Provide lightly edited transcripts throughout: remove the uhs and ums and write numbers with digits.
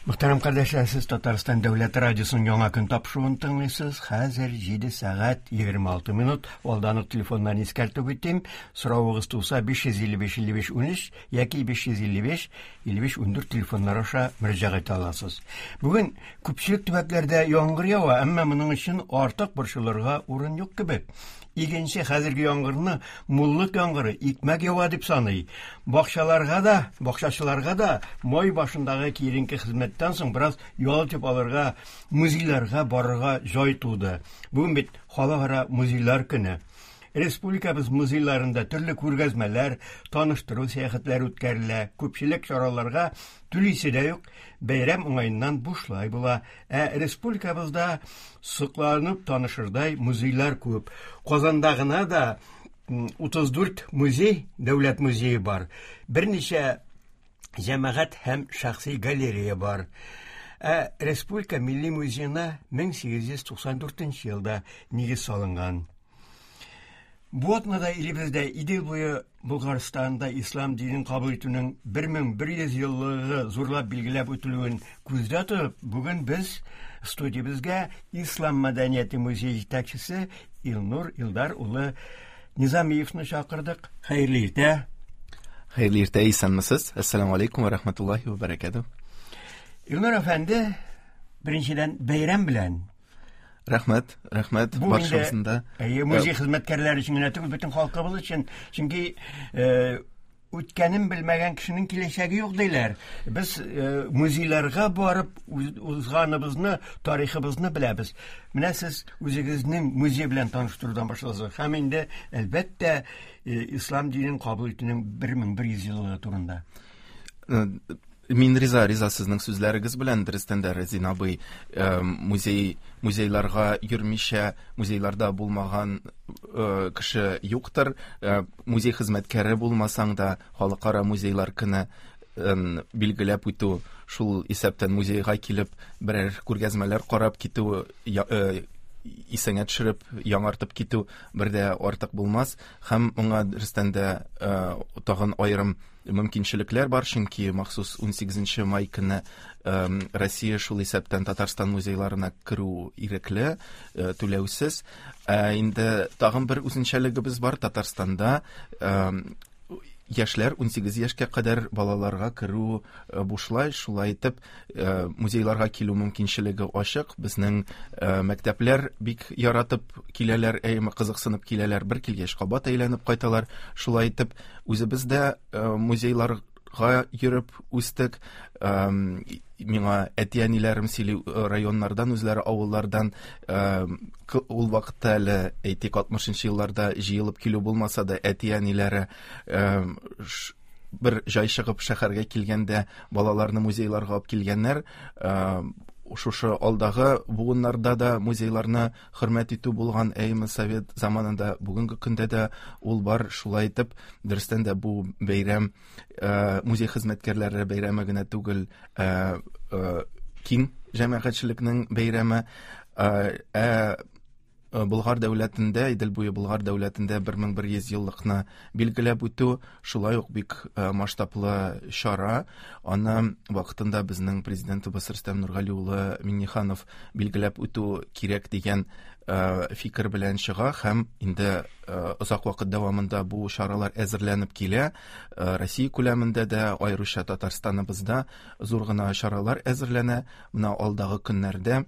Мөхтәрәм кардәшләр, сез Татарстан дәүләт радиосының яңа көн тапшыруын тыңлыйсыз. Хәзер 7 сәгать 26 минут. Алдан ук телефоннан искәртеп үтим. Соравыгыз туса 555 55 13 яки 555 55 14 телефоннар аша мөрәҗәгать итә аласыз. Бүген күпчелек төбәкләрдә яңгыр ява, әмма моның өчен артык борчылырга урын юк кебек. Игенче хәзерге яңгырны муллык яңгыры, икмәк ява дип саный. Бакчаларга да, бакчачыларга да май башындагы киеренке хезмәттән соң бераз ял итеп алырга, музейларга барырга җай туды. Бүген бит халыкара музейлар көне. Республикабыз музейларында төрле күргәзмәләр, таныштыру сәяхәтләре үткәрелә. Күпчелек чараларга түлисе дә юк, бәйрәм уңаеннан бушлай була. Ә республикабызда сокланып танышырдай музейлар күп. Казанда гына да 34 музей, дәүләт музее бар. Берничә җәмәгать һәм шәхси галерея бар. Ә Республика милли музеена 1894 елда нигез салынган. Бу атнада илебездә Идел буе Болгарстанда ислам динен кабул итүнең 1100 еллыгы зурлап билгеләп үтелүен күздә тотып, бүген без студиябезгә Ислам мәдәнияте музее җитәкчесе Илнур Илдар улы Низамиевны чакырдык. Хәерле иртә. Хәерле иртә, исәнмесез. Әссәламу алейкум ва рахматуллахи ва баракатуh. Илнур әфәнде, беренчедән бәйрәм белән. Рәхмәт, рәхмәт барчасын да. Әйе, музей хезмәткәрләре өчен генә түгел, бөтен халкыбыз өчен. Чөнки үткәнен белмәгән кешенең киләчәге юк диләр. Без музейларга барып узганыбызны, тарихыбызны беләбез. Менә сез үзегезнең музей белән таныштырудан башладыгыз. Һәм инде, әлбәттә, ислам динен кабул итүнең 1100 еллыгы турында. Мин риза, риза сезнең сүзләрегез белән, дөрестән дә, Разин абый, музей, музейларга йөрмичә, музейларда булмаган кеше юктыр. Музей хезмәткәре булмасаң да, халыкара музейлар көне билгеләп үтү, шул исәптән музейга килеп, берәр күргәзмәләр карап китү, исеңә төшереп, яңартып китү бер дә артык булмас. Һәм моңа дөрестән дә тагын аерым мөмкинчелекләр бар, чөнки махсус 18 май көне Россия, шул исәптән Татарстан музейларына керү ирекле, түләүсез. Ә инде тагын бер үзенчәлегебез бар, Татарстанда яшьләр 18 яшькә кадәр балаларга керү бушлай, шулай итеп музейларга килү мөмкинчелеге ачык. Безнең мәктәпләр бик яратып киләләр, әйме кызыксынып киләләр, бер килгәч кабат әйләнеп кайталар. Шулай итеп үзебез дә музейларга йөреп үстек. Миңа әти-әниләрем сөйли, районнардан, үзләре авыллардан, ул вакытта әле, әйтик, 60 елларда җыелып килү булмаса да, әти-әниләре бер җай чыгып шәһәргә килгәндә балаларны музейларга алып килгәннәр. Шушы алдагы буыннарда да музейларны хөрмәт итү булган, әйме совет заманында, бүгенге көндә дә ул бар. Шулай итеп, дөрестән дә бу бәйрәм музей хезмәткәрләре бәйрәме генә түгел, киң җәмәгатьчелекнең бәйрәме. Болгар дәүләтендә, Идел буе Болгар дәүләтендә 1100 еллыкны билгеләп үтү шулай ук бик масштаблы чара. Аны вакытында безнең президентыбыз Рөстәм Нургали улы Миңнеханов билгеләп үтү кирәк дигән фикер белән чыга һәм инде озак вакыт дәвамында бу чаралар әзерләнеп килә. Россия күләмендә дә, аеруча Татарстаныбызда зур гына чаралар әзерләнә. Менә алдагы көннәрдә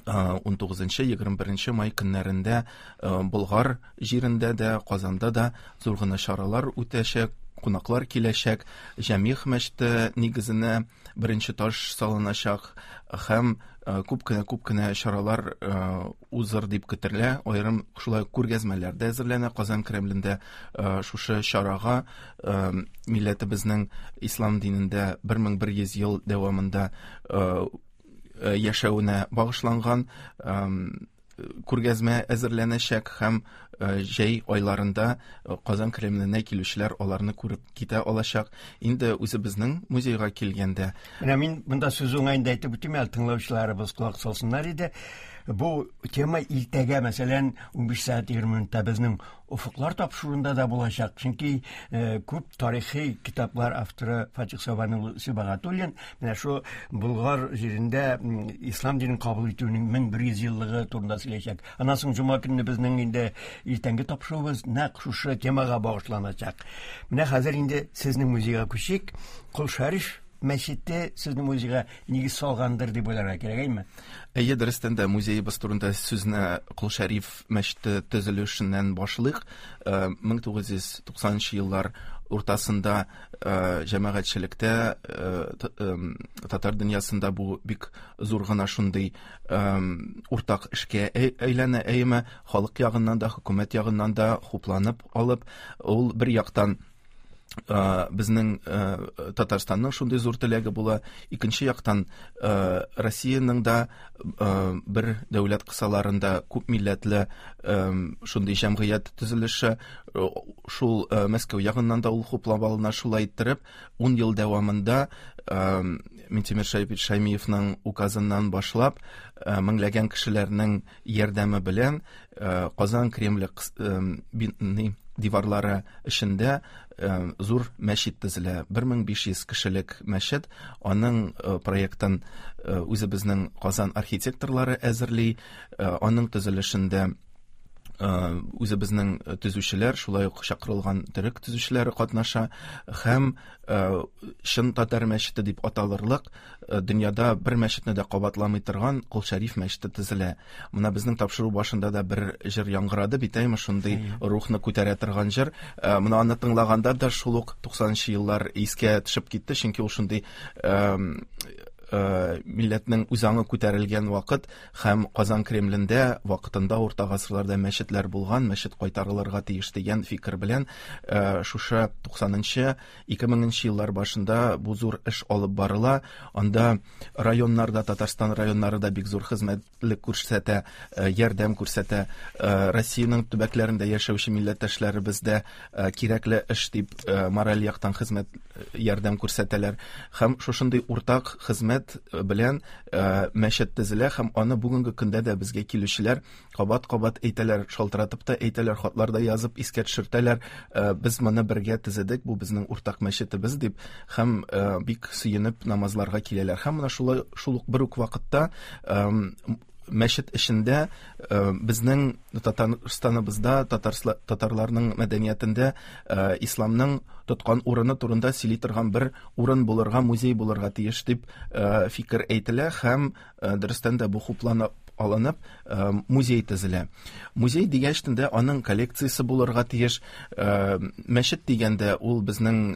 19-21 май көннәрендә Болгар җирендә дә, Казанда да зур гына чаралар үтәчәк, кунаклар киләчәк, Җәмигъ мәчете нигезенә беренче таш салыначак һәм күп кенә, күп кенә чаралар узыр дип көтелә. Аерым шулай күргәзмәләр дә әзерләнә Казан Кремлендә шушы чарага милләтебезнең ислам динендә 1100 ел дәвамында яшәвенә багышланган күргәзмә әзерләнәчәк һәм Җәй айларында Казан Кремленә килүчеләр аларны күреп китә алачак. Инде үзебезнең музейга килгәндә. Менә мин монда сүз уңаенда әйтеп үтим әле, тыңлаучыларыбыз колак салсыннар иде. Бу тема иртәгә, мәсәлән, 15 сәгать 20 минутта безнең Офыклар тапшыруында да булачак. Чөнки күп тарихи китаплар авторы Фатих Сабан улы Сибагатуллин менә шул Болгар җирендә ислам динен кабул итүнең 1100 еллыгы турында сөйләячәк. Аннан соң җомга көнне безнең инде иртәнге тапшыруыбыз нәкъ шушы темага багышланачак. Менә хәзер инде сезнең музейга күчик. Кол Шәриф мәчете сезнең музейга нигез салгандыр дип уйларга кирәк, әйме? Әйе, дөрестән дә музеебыз турында сүзне Кол Шәриф мәчете төзелешеннән башлыйк. 1990 еллар уртасында җәмәгатьчелектә, татар дөньясында бу бик зур гына шундый уртак эшкә әйләнә, әйеме, халык ягыннан да, хөкүмәт ягыннан да хупланып алып, ул бер яктан безнең Татарстанның шундый зур теләге була, икенче яктан Россиянең дә бер дәүләт кысаларында күп милләтле шундый җәмгыять төзелеше, шул Мәскәү ягыннан да ул хуплап алына. Шулай иттереп, 10 ел дәвамында Минтимер Шәрипович Шаймиевның указыннан башлап, меңләгән кешеләрнең ярдәме белән Казан Кремле диварлары эчендә зур мәчет төзелә. 1500 кешелек мәчет. Аның проектын үзебезнең Казан архитекторлары әзерли. Аның төзелешендә үзебезнең төзүчеләр, шулай ук чакырылган төрек төзүчеләре катнаша һәм чын татар мәчете дип аталырлык, дөньяда бер мәчетне дә кабатламый торган Кол Шәриф мәчете төзелә. Менә безнең тапшыру башында да бер җыр яңгырады бит, әйме, шундый рухны күтәрә торган җыр. Менә аны тыңлаганда да шул ук 90 еллар искә төшеп китте, чөнки ул шундый милләтнең үзаңы күтәрелгән вакыт һәм Казан Кремлендә вакытында урта гасырларда мәчетләр булган, мәчет кайтарылырга тиеш дигән фикер белән шушы 90-нчы, 2000 еллар башында бу зур эш алып барыла. Анда районнарда, Татарстан районнары да бик зур хезмәтлек күрсәтә, ярдәм күрсәтә. Россиянең төбәкләрендә яшәүче милләттәшләребез дә кирәкле эш дип мораль яктан хезмәт ярдәм күрсәтәләр. Һәм шушындый уртак хезмәт белән мәчет төзелә һәм аны бүгенге көндә дә безгә килүчеләр кабат-кабат әйтәләр, шалтыратып та әйтәләр, хатлар да язып искә төшертәләр. Без моны бергә төзедек, бу безнең уртак мәчетебез дип һәм бик сөенеп намазларга киләләр. Һәм менә шулай шул ук бер үк вакытта мәчет эчендә безнең Татарстаныбызда татарларның мәдәниятендә исламның тоткан урыны турында сөйли торган бер урын булырга, музей булырга тиеш дип фикер әйтелә һәм дөрестән дә бу хупланып алынып, музей төзелә. Музей дигәч тә аның коллекциясе булырга тиеш. Мәчет дигәндә ул безнең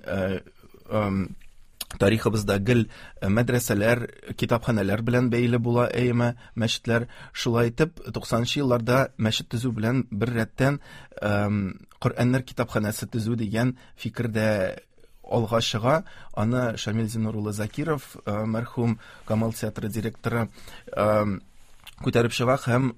тарихыбызда гел мәдрәсәләр, китапханәләр белән бәйле була, әйеме, мәчетләр. Шулай итеп, 90 елларда мәчет төзү белән бер рәттән Коръәннәр китапханәсе төзү дигән фикер дә алга чыга. Аны Шамил Зиннур улы Закиров, мәрхүм Камал театры директоры, күтәреп чыга һәм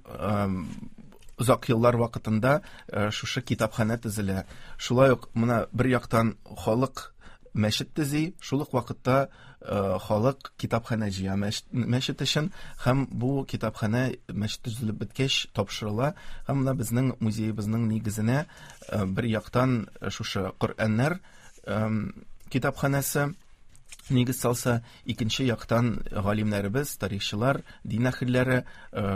озак еллар вакытында шушы китапханә төзелә. Шулай ук менә бер яктан халык мәчет төзи, шул ук вакытта халык китапханә җыя мәчет өчен һәм бу китапханә мәчет төзелеп беткәч тапшырыла. Һәм менә безнең музеебызның нигезенә бер яктан шушы Коръәннәр китапханәсе нигез салса, икенче яктан галимнәребез, тарихчылар, дин әһелләре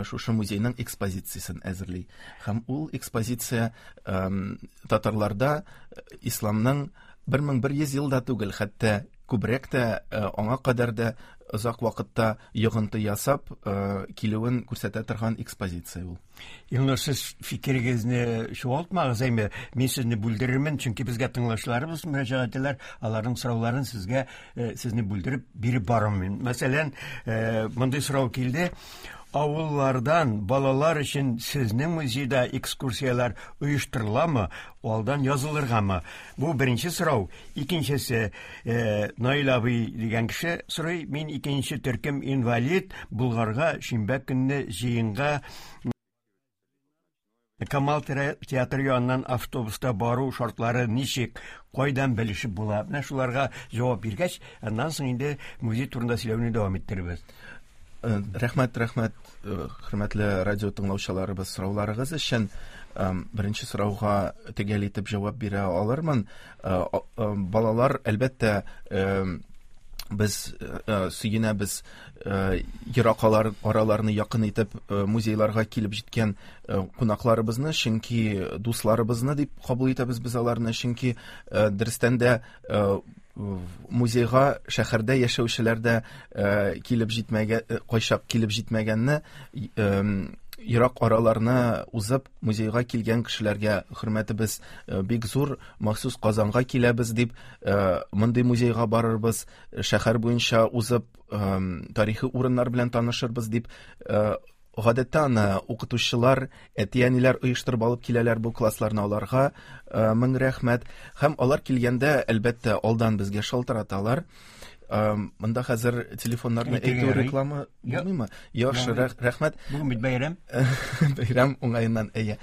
шушы музейның экспозициясен әзерли. Һәм ул экспозиция татарларда исламның 1100 ел да түгел, хәтта күбрәк тә, аңа кадәр дә озак вакытта йогынты ясап килүен күрсәтә торган экспозиция ул. Илнур, сез фикерегезне чуалтмагыз, әйме, мин сезне бүлдерермен, чөнки безгә тыңлаучыларыбыз мөрәҗәгать итәләр, аларның сорауларын сезгә, сезне бүлдереп биреп барырмын. Мәсәлән, мондый сорау килде. Авыллардан балалар өчен сезнең музейда экскурсияләр оештырыламы, алдан язылыргамы? Бу беренче сорау. Икенчесе, Наил абый дигән кеше сорый, мин икенче төркем инвалид, Болгарга шимбә көнне җыенга Камал театры яныннан автобуста бару шартлары ничек, кайдан белешеп була? Менә шуларга җавап биргәч, аннан соң инде музей турында сөйләүне дәвам иттерербез. Рәхмәт, рәхмәт, хөрмәтле радио тыңлаучыларыбыз, сорауларыгыз өчен. Беренче сорауга төгәл итеп җавап бирә алырмын. Балалар, әлбәттә, без сөенәбез, ерак араларны якын итеп музейларга килеп җиткән кунакларыбызны, чөнки дусларыбызны дип кабул итәбез без аларны, чөнки дөрестән дә музейга шәһәрдә яшәүчеләр дә килеп җитмәгән, кайчак килеп җитмәгәнне, ерак араларны узып музейга килгән кешеләргә хөрмәтебез бик зур. Махсус Казанга киләбез дип, мондый музейга барырбыз, шәһәр буенча узып тарихи урыннар белән танышырбыз дип. Гадәттә аны укытучылар, әти-әниләр оештырып алып киләләр бу классларны, аларга мең рәхмәт. Һәм алар килгәндә, әлбәттә, алдан безгә шалтыраталар. Монда хәзер телефоннарны әйтү реклама булмыймы? Яхшы, рәхмәт. Бүген бит бәйрәм. Бәйрәм уңаеннан, әйе.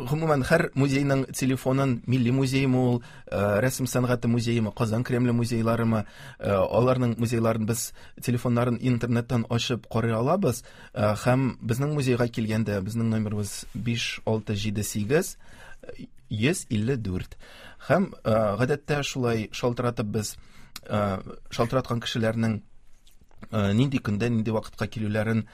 Гомумән, һәр музейның телефонын, милли музеймы ул, рәсем сәнгате музеймы, Казан Кремле музейларымы, аларның музейларын без телефоннарын интернеттан ачып карый алабыз. Һәм безнең музейга килгәндә, безнең номерыбыз 5 6 7 8 154. Һәм гадәттә шулай шалтыратып без шалтыраткан кешеләрнең нинди көндә, нинди вакытка килүләрен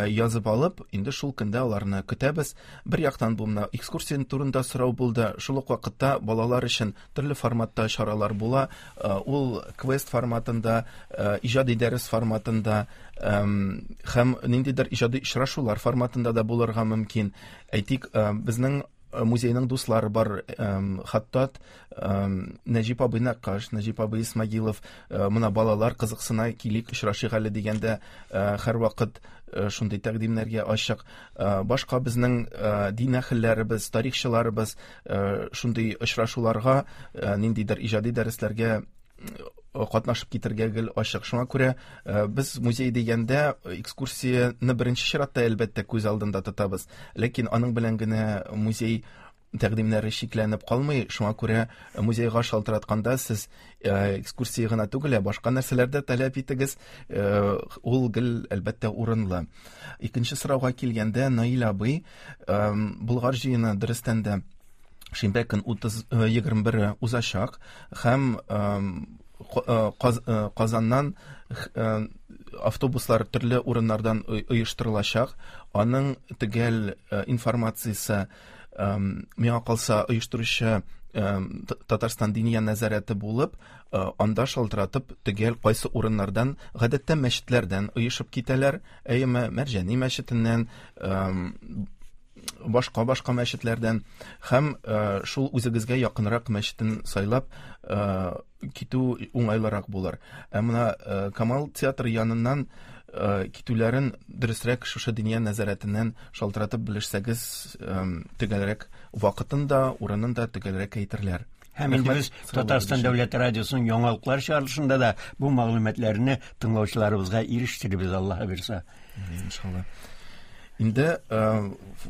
язып алып, инде шул көндә аларны көтәбез. Бер яктан бу менә экскурсия турында сорау булды. Шул ук вакытта балалар өчен төрле форматта чаралар була. Ул квест форматында, иҗади дәрес форматында һәм ниндидер иҗади очрашулар форматында да булырга мөмкин. Әйтик, безнең музейның дуслары бар, Хаттат, Нәҗип абый Нәккаш, Нәҗип абый Исмагилов, менә балалар кызыксына, килик, очрашыйк әле дигәндә, һәрвакыт шундый тәкъдимнәргә ачык. Башка безнең дин әһелләребез, тарихчыларыбыз шундый очрашуларга, ниндидер иҗади дәресләргә катнашып китергә гел ачык. Шуңа күрә без музей дигәндә экскурсияне беренче чиратта әлбәттә күз алдында тотабыз. Ләкин аның белән генә музей тәкъдимнәре чикләнеп калмый. Шуңа күрә музейга шалтыратканда сез экскурсия гына түгел, ә башка нәрсәләр дә таләп итегез. Ул гел әлбәттә урынлы. Икенче сорауга килгәндә, Наил абый, Болгар җыены дөрестән дә шимбә көн 21 узачак һәм Казаннан автобуслар төрле урыннардан оештырылачак. Аның төгәл информациясе, миңа калса, оештыручы Татарстан Диния нәзарәте булып, анда шалтыратып төгәл кайсы урыннардан, гадәттә мәчетләрдән оешып китәләр, әйеме, Мәрҗани мәчетеннән, башка-башка мәчетләрдән, һәм шул үзегезгә якынрак мәчетен сайлап китү уңайлырак булыр. Ә менә Камал театры яныннан китүләрен дөресрәк шушы Диния нәзарәтеннән шалтыратып белешсәгез, төгәлрәк вакытын да, урынын да төгәлрәк әйтерләр. Һәм инде без Татарстан дәүләт радиосының яңалыклар чыгарылышында да бу мәгълүматларны тыңлаучыларыбызга ирештерербез, Аллаһы бирса. Иншалла. Инде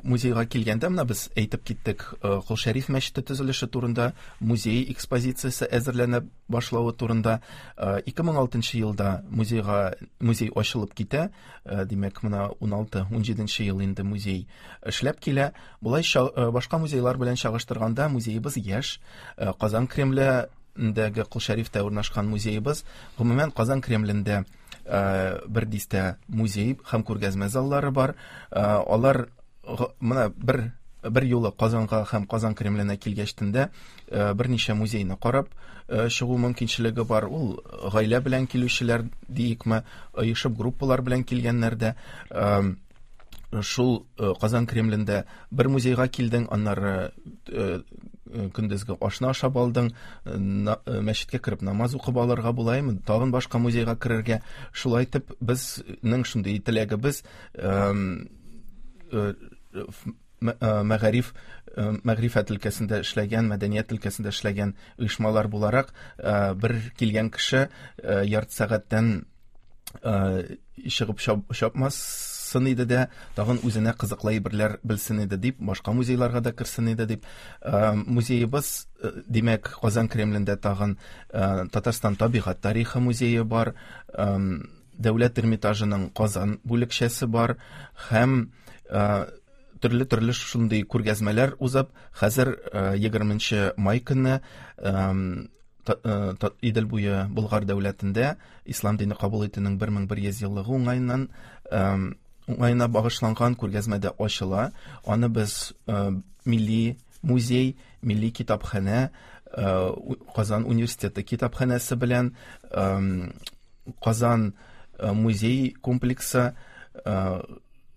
музейга килгәндә, менә без әйтеп киттек, Кол Шәриф мәчете төзелеше турында, музей экспозициясе әзерләнә башлавы турында. 2006 елда музей ачылып китә. Димәк, менә 16-17 ел инде музей эшләп килә. Болай башка музейлар белән чагыштырганда музеебыз яшь. Казан Кремлендәге Кол Шәрифтә урнашкан музеебыз, гомумән Казан Кремлендә бер дистә музей һәм күргәзмә заллары бар. Алар менә бер юлы Казанга һәм Казан Кремленә килгәчтен дә берничә музейны карап чыгу мөмкинчелеге бар. Ул гаилә белән килүчеләр диекме, оешып группалар белән килгәннәр дә. Шул Казан Кремлендә бер музейга килдең, аннары көндезге ашны ашап алдың, мәчеткә кереп намаз укып алырга булаймы, тагын башка музейга керергә. Шулай итеп, безнең шундый теләгебез, мәгърифәт өлкәсендә эшләгән, мәдәният өлкәсендә эшләгән оешмалар буларак, бер килгән кеше ярты сәгатьтән чыгып чапмасын чыксын иде дә, тагын үзенә кызыклы әйберләр белсен иде дип, башка музейларга да керсен иде дип. Музеебыз, димәк, Казан Кремлендә тагын Татарстан табигать тарихы музее бар, Дәүләт Эрмитажының Казан бүлекчәсе бар һәм төрле-төрле шундый күргәзмәләр узып, хәзер 20 май көнне Идел буе Болгар дәүләтендә ислам дине кабул итүнең 1100 еллыгы уңаеннан уңаена багышланган күргәзмә дә ачыла. Аны без милли музей, милли китапханә, Казан университеты китапханәсе белән Казан музей комплексы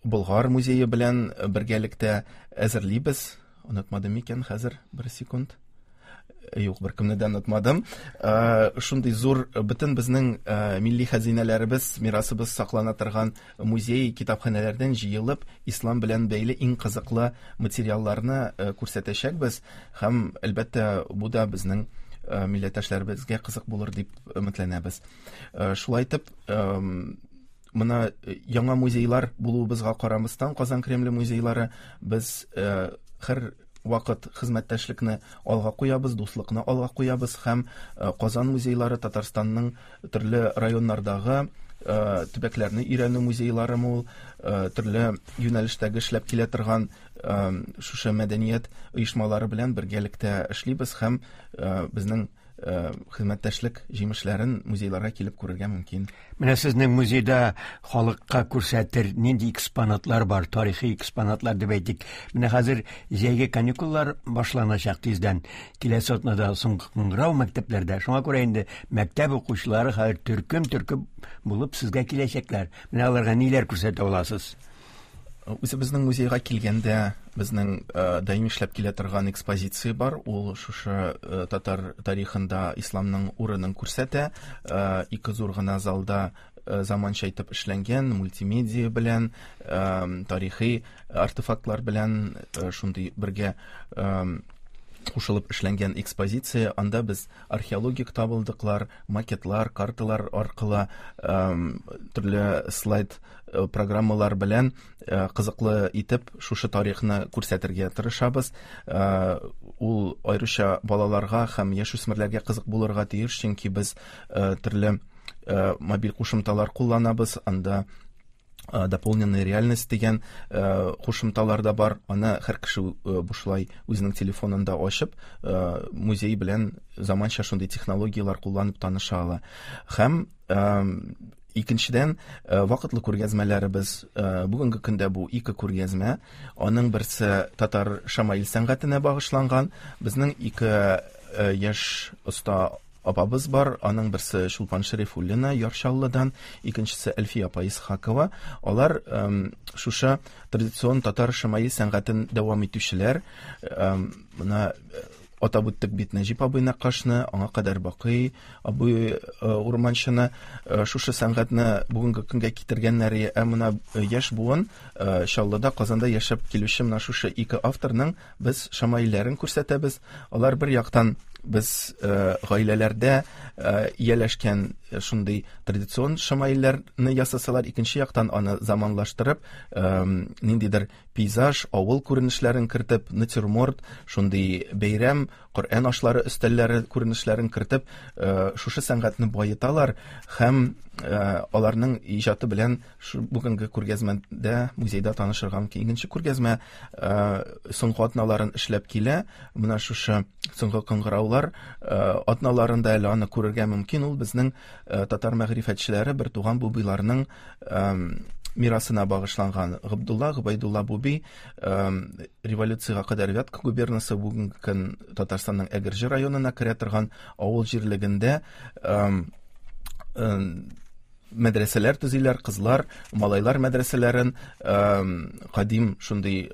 Болгар музее белән бергәлектә әзерлибез. Онытмадым микән хәзер? Бер секунд. Юк, беркемне дә онытмадым. Шундый зур бөтен безнең милли хәзинәләребез, мирасыбыз саклана торган музей, китапханәләрдән җыелып, ислам белән бәйле иң кызыклы материалларны күрсәтәчәкбез һәм, әлбәттә, бу да безнең милләттәшләребезгә кызык булыр дип өметләнәбез. Шулай итеп, Мына яңа музейлар булуыбызга карамастан, Казан Кремле музейлары без һәр вакыт хезмәттәшлекне алга куябыз, дуслыкны алга куябыз һәм Казан музейлары Татарстанның төрле районнардагы төбәкләрне өйрәнү музейлары ул, төрле юнәлештәге эшләп килә торган шушы мәдәният оешмалары белән бергәлектә эшлибез һәм безнең Хезмәттәшлек җимешләрен музейларга килеп күрергә мөмкин. Менә сезнең музейда халыкка күрсәтер нинди экспонатлар бар, тарихи экспонатлар дип әйтик. Менә хәзер җәйге каникуллар башланачак тиздән. Киләсе атнада соңгы кыңгырау мәктәпләрдә. Шуңа күрә инде мәктәп укучылары хәзер төркем-төркем булып сезгә киләчәкләр. Менә аларга ниләр күрсәтә аласыз? Үзебезнең музейга килгәндә, безнең даими эшләп килә торган экспозиция бар. Ул шушы татар тарихында исламның урынын күрсәтә. Ике зур гына залда заманча итеп эшләнгән мультимедиа белән, тарихи артефактлар белән шундый бергә кушылып эшләнгән экспозиция. Анда без археологик табылдыклар, макетлар, карталар аркылы төрле слайд программалар белән кызыклы итеп шушы тарихны күрсәтергә тырышабыз. Ул аеруча балаларга һәм яшүсмерләргә кызык булырга тиеш, чөнки без төрле мобиль кушымталар кулланабыз. Анда дополненная реальность дигән кушымталар да бар. Аны һәр кеше бушлай үзенең телефонында ачып, музей белән заманча шундый технологияләр кулланып таныша ала. Һәм икенчедән, вакытлы күргәзмәләребез, бүгенге көндә бу ике күргәзмә. Аның берсе татар шамаил сәнгатенә багышланган. Безнең ике яшь оста апабыз бар. Аның берсе Чулпан Шәрифуллина Яр Чаллыдан, икенчесе Әлфия апа Исхакова. Алар шушы традицион татар шамаил сәнгатен дәвам итүчеләр. Менә атап үттек бит Нәҗип абый Нәккашны, аңа кадәр Бакый абый Урманчыны, шушы сәнгатьне бүгенге көнгә китергәннәр. Ә менә яшь буын Чаллыда, Казанда яшәп килүче менә шушы ике авторның без шамаилләрен күрсәтәбез. Алар бер яктан без гаиләләрдә ияләшкән шундый традицион шамаилләрне ясасалар, икенче яктан аны заманлаштырып, ниндидер пейзаж, авыл күренешләрен кертеп, натюрморт, шундый бәйрәм, Коръән ашлары өстәлләре күренешләрен кертеп, шушы сәнгатьне баеталар һәм аларның иҗаты белән бүгенге күргәзмәдә, музейда танышырга мөмкин. Икенче күргәзмә соңгы атналарын эшләп килә. Менә шушы соңгы кыңгыраулар атналарында әле аны күрергә мөмкин. Ул безнең татар мәгърифәтчеләре бертуган Бубыйларның мирасына багышланган. Габдулла Гобәйдулла Буби революциягә кадәр Вятка губернасы, бүгенге көн Татарстанның Әгерҗе районына керә торган авыл җирлегендә мәдрәсәләр төзиләр, кызлар, малайлар мәдрәсәләрен, кадим шундый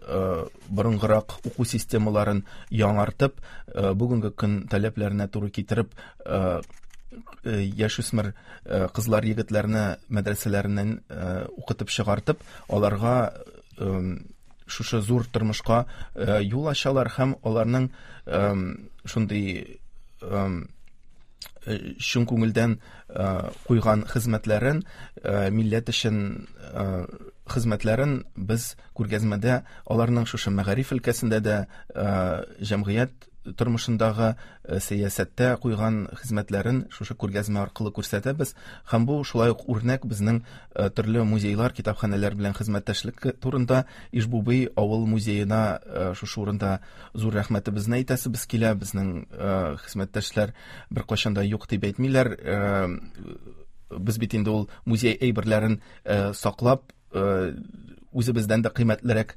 борынгырак уку системаларын яңартып, бүгенге көн таләпләренә туры китереп, яшүсмер кызлар, егетләрне мәдрәсәләреннән укытып чыгартып, аларга шушы зур тормышка юл ачалар һәм аларның шундый чын күңелдән куйган хезмәтләрен, милләт өчен Хезмәтләрен без күргәзмәдә аларның шушы мәгариф өлкәсендә дә, җәмгыять тормышындагы, сәясәттә куйган хезмәтләрен шушы күргәзмә аркылы күрсәтәбез. Һәм бу шулай ук үрнәк безнең төрле музейлар, китапханәләр белән хезмәттәшлек турында. Ижбубый авыл музеена шушы урында зур рәхмәтебезне әйтәсебез килә. Безнең хезмәттәшләр беркайчан да юк дип әйтмиләр. Без бит инде ул музей әйберләрен саклап, үзебездән дә кыйммәтлерәк,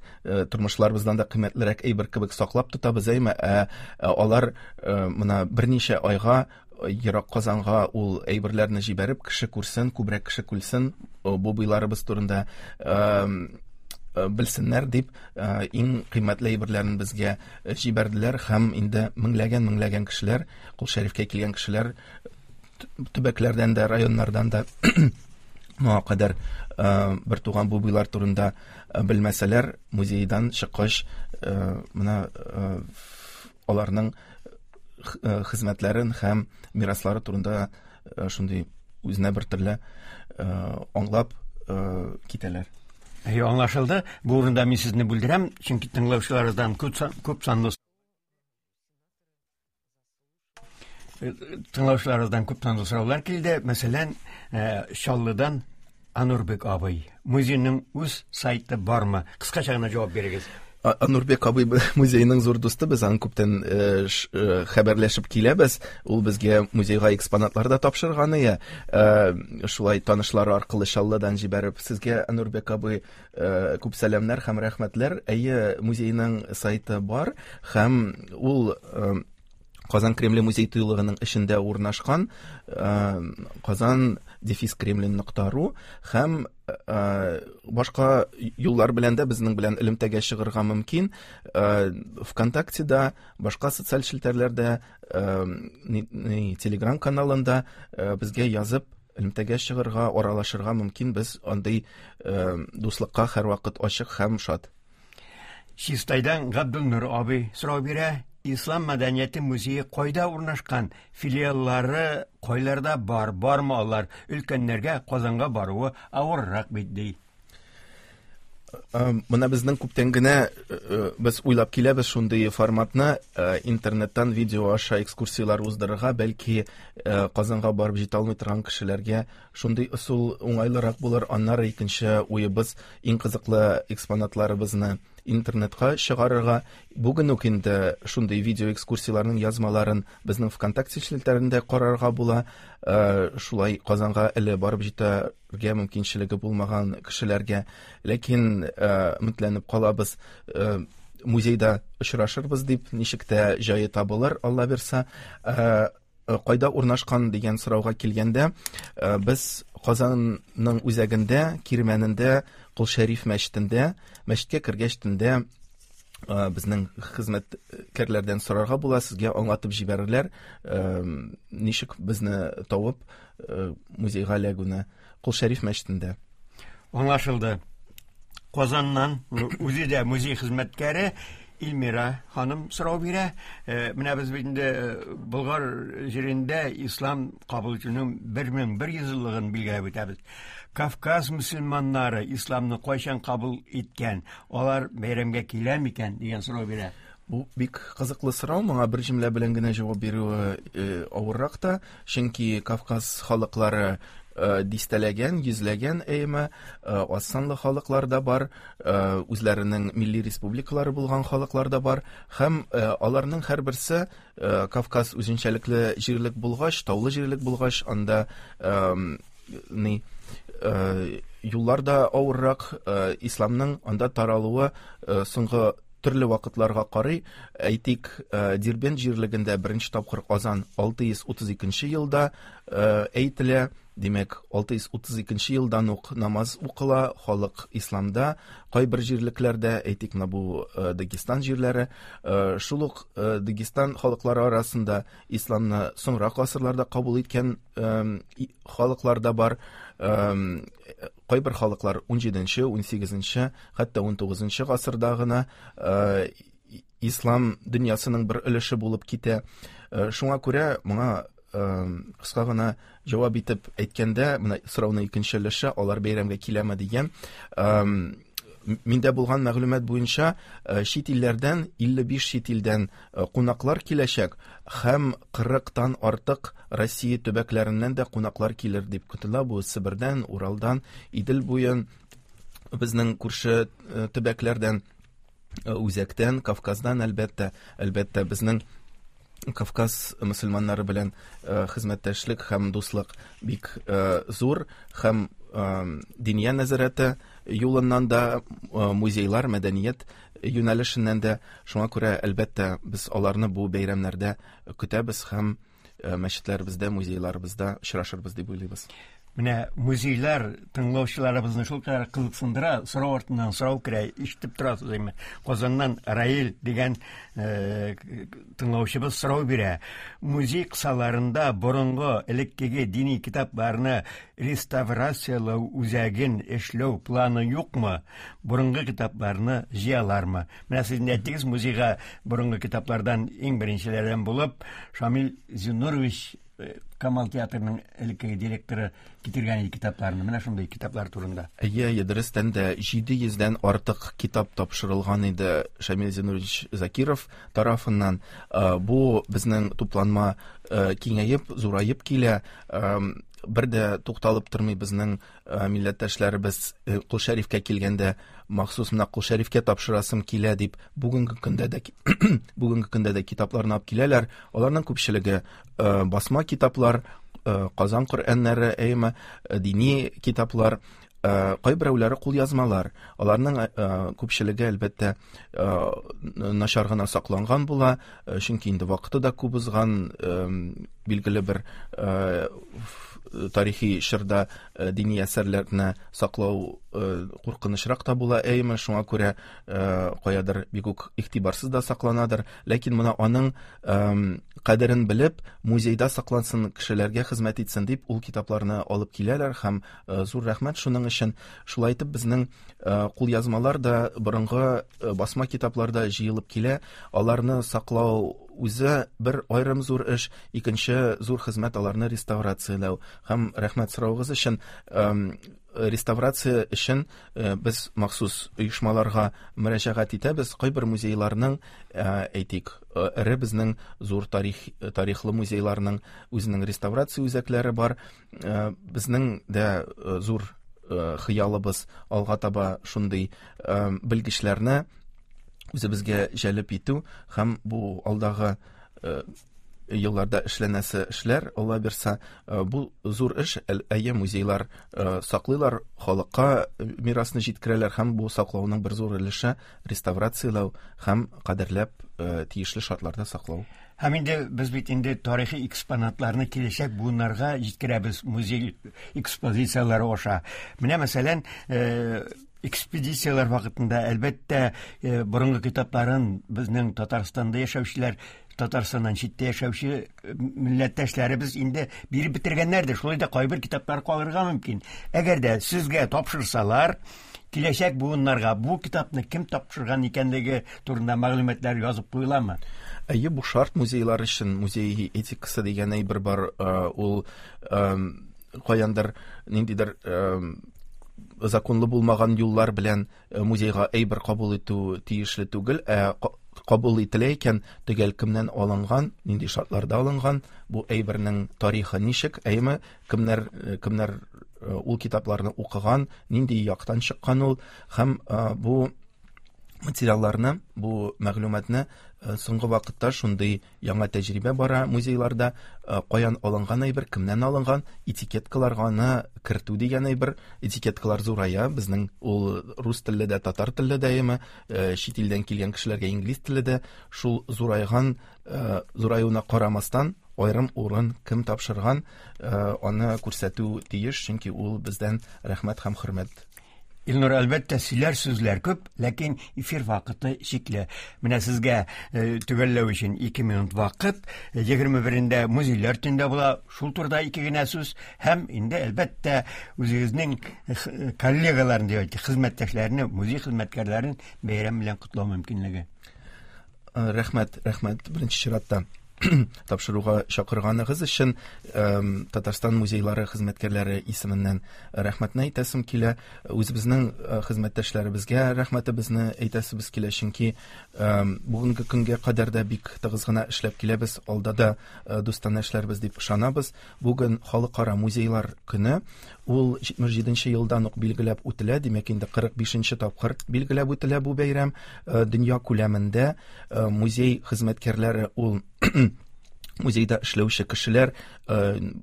тормышларыбыздан да кыйммәтлерәк әйбер кебек саклап тотабыз, әйме? Ә алар менә берничә айга ерак Казанга ул әйберләрне җибәреп, кеше күрсен, күбрәк кеше күрсен, бубыйларыбыз турында белсеннәр дип, иң кыйммәтле әйберләрен безгә җибәрделәр һәм инде меңләгән-меңләгән кешеләр, Кол Шәрифкә килгән кешеләр төбәкләрдән дә, районнардан да моңа кадәр бер туган бубыйлар турында белмәсәләр, музейдан чыккач, менә аларның хезмәтләрен һәм мираслары турында шундый үзенә бер төрле аңлап китәләр. Әйе, аңлашылды. Бу урында мин сезне бүлдерәм, чөнки тыңлаучыларыбыздан күп санлы Тыңлаучыларыбыздан күп санлы сораулар килде. Мәсәлән, Чаллыдан Анурбек абый. Музейның үз сайты бармы? Кыскача гына җавап бирегез. Анурбек абый музейның зур дусты, без аның күптән хәбәрләшеп киләбез. Ул безгә музейга экспонатлар да тапшырган ие. Шулай танышлары аркылы Чаллыдан җибәреп. Сезгә, Анурбек абый, күп сәламнәр һәм рәхмәтләр. Әйе, музейның сайты бар һәм ул Казан Кремле музей тыюлыгының эчендә урнашкан, Казан дефис Кремлин нокта ру һәм башка юллар белән дә безнең белән элемтәгә чыгырга мөмкин. ВКонтактеда, башка социаль челтәрләрдә, Телеграм каналында безгә язып элемтәгә чыгырга, аралашырга мөмкин. Без андый дуслыкка һәрвакыт ачык һәм шат. Чистайдан Габдулнур абый сорау бирә. Ислам мәдәнияте музее кайда урнашкан? Филиаллары кайларда бар? Бармы алар? Өлкәннәргә Казанга баруы авыррак бит, ди. Менә безнең күптән генә без уйлап киләбез шундый форматны, интернеттан видео аша экскурсияләр уздырырга, бәлки Казанга барып җитә алмый торган кешеләргә шундый ысул уңайлырак булыр. Аннары икенче уебыз, иң кызыклы экспонатларыбызны интернетка чыгарырга. Бүген үк инде шундый видео экскурсияләрнең язмаларын безнең ВКонтакте челтәрендә карарга була. Шулай Казанга әле барып җитәргә мөмкинчелеге булмаган кешеләргә. Ләкин өметләнеп калабыз, музейда очрашырбыз дип, ничек тә җае табылыр, Алла бирса. Кайда урнашкан дигән сорауга килгәндә, без Казанның үзәгендә, Кирмәнендә, Кол Шәриф мәчетендә, мәчеткә кергәч төндә безнең хезмәткәрләрдән сорарга була, сезгә аңлатып җибәрерләр, ничек безне табып музейга эләгүне. Кол Шәриф мәчетендә. Аңлашылды. Казаннан үзе дә музей хезмәткәре Илмира ханым сорау бирә. Менә без бит инде Болгар җирендә ислам кабул итүнең 1100 еллыгын билгеләп үтәбез. Кавказ мөселманнары исламны кайчан кабул иткән? Алар бәйрәмгә килә микән дигән сорау бирә. Бу бик кызыклы сорау, моңа бер җөмлә белән генә җавап бирүе авыррак та, чөнки Кавказ халыклары дистәләгән, йөзләгән әйеме, аз санлы халыклар да бар, үзләренең милли республикалары булган халыклар да бар, һәм аларның һәрберсе Кавказ үзенчәлекле җирлек булгач, таулы җирлек булгач, анда ни юллар да авыррак, исламның анда таралуы соңгы төрле вакытларга карый. Әйтик, Дербент җирлегендә беренче тапкыр азан 632 елда әйтелә. Димәк, 632 елдан ук намаз укыла, халык исламда. Кайбер җирлекләрдә, әйтик, менә бу Дагестан җирләре, шул ук Дагестан халыклары арасында исламны соңрак гасырларда кабул иткән халыклар да бар. Кайбер халыклар 17-нче, 18-нче, хәтта 19-нчы гасырда гына ислам дөньясының бер өлеше булып китә. Шуңа күрә моңа Кыска гына җавап итеп әйткәндә, менә сорауның икенче өлеше, алар бәйрәмгә киләме дигән. Миндә булган мәгълүмат буенча, чит илләрдән 55 чит илдән кунаклар киләчәк һәм 40-тан артык Россия төбәкләреннән дә кунаклар килер дип көтелә. Бу Себердән, Уралдан, Идел буен, безнең күрше төбәкләрдән, үзәктән, Кавказдан, әлбәттә, әлбәттә, безнең Кавказ мөселманнары белән хезмәттәшлек һәм дуслык бик зур һәм диния нәзарәте юлыннан да, музейлар, мәдәният юнәлешеннән дә. Шуңа күрә, әлбәттә, без аларны бу бәйрәмнәрдә көтәбез һәм мәчетләребездә, музейларыбызда очрашырбыз дип уйлыйбыз. Менә музейлар тыңлаучыларыбызны шулкадәр кызыксындыра, сорау артыннан сорау керә, ишетеп торасыз инде. Казаннан Раил дигән тыңлаучыбыз сорау бирә. Музей кысаларында борынгы элеккеге дини китапларны реставрацияләү үзәген эшләү планы юкмы? Борынгы китапларны җыялармы? Менә сез инде әйттегез, музейга борынгы китаплардан иң беренчеләрдән булып Шамил Зиннурович Камал театрының элеккеге директоры китергән иде китапларны. Менә шундый китаплар турында. Әйе, әйе, дөрестән дә 700дән артык китап тапшырылган иде Шамил Зиннурович Закиров тарафыннан. Бу безнең тупланма киңәеп, зураеп килә. Бер дә тукталып тормый безнең милләттәшләребез Кол Шәрифкә килгәндә, махсус менә Кол Шәрифкә тапшырасым килә дип, бүгенге көндә дә бүгенге көндә дә китапларны алып киләләр. Аларның күпчелеге басма китаплар, Казан Коръәннәре, әйеме, дини китаплар, кайберәүләре кулъязмалар. Аларның күпчелеге, әлбәттә, начар гына сакланган була, чөнки инде вакыты да күп узган, билгеле бер тарихи чорда дини әсәрләрне саклау куркынычрак та була, әйеме, шуңа күрә каядыр бик үк игътибарсыз да сакланадыр. Ләкин менә аның кадерен белеп, музейда саклансын, кешеләргә хезмәт итсен дип, ул китапларны алып киләләр һәм зур рәхмәт шуның өчен. Шулай итеп, безнең кулъязмалар да, борынгы басма китаплар да җыелып килә. Аларны саклау үзе бер аерым зур эш, икенче зур хезмәт аларны реставрацияләү. Һәм рәхмәт соравыгыз өчен, реставрация өчен без махсус оешмаларга мөрәҗәгать итәбез. Кайбер музейларның, әйтик, эре безнең зур тарих, тарихлы музейларның үзенең реставрация үзәкләре бар. Безнең дә зур хыялыбыз алга таба шундый белгечләрне үзебезгә җәлеп итү һәм бу алдагы елларда эшләнәсе эшләр, Алла бирса, бу зур эш. Әйе, музейлар саклыйлар, халыкка мирасны җиткерәләр һәм бу саклауның бер зур өлеше реставрацияләү һәм кадерләп тиешле шартларда саклау. Һәм инде без бит инде тарихи экспонатларны киләчәк буыннарга җиткерәбез музей экспозицияләре аша. Менә мәсәлән, экспедицияләр вакытында, әлбәттә, борынгы китапларын безнең Татарстанда яшәүчеләр, Татарстаннан читтә яшәүче милләттәшләребез инде биреп бетергәннәрдер. Шулай да кайбер китаплар калырга мөмкин. Әгәр дә сезгә тапшырсалар, киләчәк буыннарга бу китапны кем тапшырган икәнлеге турында мәгълүматлар язып куеламы? Әйе, бу шарт музейлар өчен, музей этикасы дигән әйбер бар, ул каяндыр ниндидер законлы булмаган юллар белән музейга әйбер кабул итү тиешле түгел, ә кабул ителә икән, төгәл кемнән алынган, нинди шартларда алынган, бу әйбернең тарихы ничек, әйеме, кемнәр, кемнәр ул китапларны укыган, нинди яктан чыккан ул, һәм бу материалларны, бу мәгълүматны соңгы вакытта шундый яңа тәҗрибә бара музейларда, каян алынган әйбер, кемнән алынган, этикеткаларга аны кертү дигән әйбер, этикеткалар зурая, безнең ул рус телле дә, татар телле дә, әйеме, чит илдән килгән кешеләргә инглиз телле дә, шул зурайган, зураюына карамастан, аерым урын кем тапшырган, аны күрсәтү тиеш, чөнки ул бездән рәхмәт һәм хөрмәт. Илнур, әлбәттә, сөйләр сүзләр күп, ләкин эфир вакыты чикле. Менә сезгә төгәлләү өчен 2 минут вакыт. 21-ндә музейлар төндә була. Шул турыда ике генә сүз һәм инде әлбәттә үзегезнең коллегаларын дип әйтик, хезмәттәшләрне, музей хезмәткәрләрен бәйрәм белән котлау мөмкинлеге. Рәхмәт, рәхмәт беренче чиратта. тапшыруга чакырганыгыз өчен Татарстан музейлары хезмәткәрләре исеменнән рәхмәтне әйтәсем килә. Үзебезнең э, хезмәттәшләребезгә рәхмәтебезне әйтәсебез килә, чөнки бүгенге көнгә кадәр дә бик тыгыз гына эшләп киләбез, алда да э, дустанә эшләрбез дип ышанабыз. Бүген Халыкара музейлар көне, ул 77 елдан ук билгеләп үтелә, димәк инде 45 тапкыр билгеләп үтелә бу бәйрәм. Э, дөнья күләмендә Э, музей хезмәткәрләре ул музейда эшләүче кешеләр э,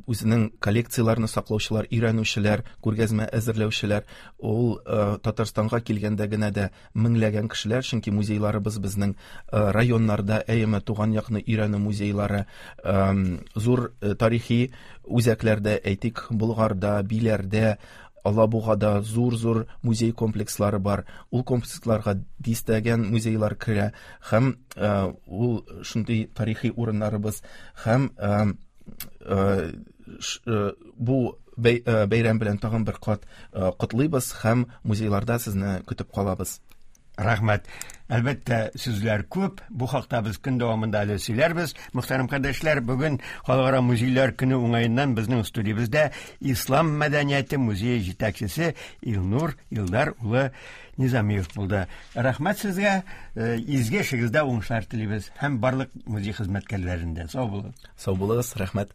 үзенең коллекцияләрен саклаучылар өйрәнүчеләр күргәзмә әзерләүчеләр ул э, татарстанга килгәндә генә дә меңләгән кешеләр чөнки музейларыбыз безнең районнарда әйеме туган якны өйрәнү музейлары зур тарихи үзәкләрдә әйтик болгарда биләрдә Алабугада зур-зур музей комплекслары бар. Ул комплексларга дистәгән музейлар керә һәм э, ул шундый тарихи урыннарыбыз һәм э, э, бу бәйрәм белән тагын бер кат котлыйбыз һәм музейларда сезне көтеп калабыз. Рәхмәт. Әлбәттә, сүзләр күп. Бу хакта без көн дәвамында әле сөйләрбез. Мөхтәрәм кардәшләр, бүген Халыкара музейлар көне уңаеннан безнең студиябездә Ислам мәдәнияте музее җитәкчесе Илнур Илдар улы Низамиев булды. Рәхмәт сезгә, э, изге эшегездә уңышлар телибез һәм барлык музей хезмәткәрләренә. Сау булыгыз. Сау булыгыз, рәхмәт.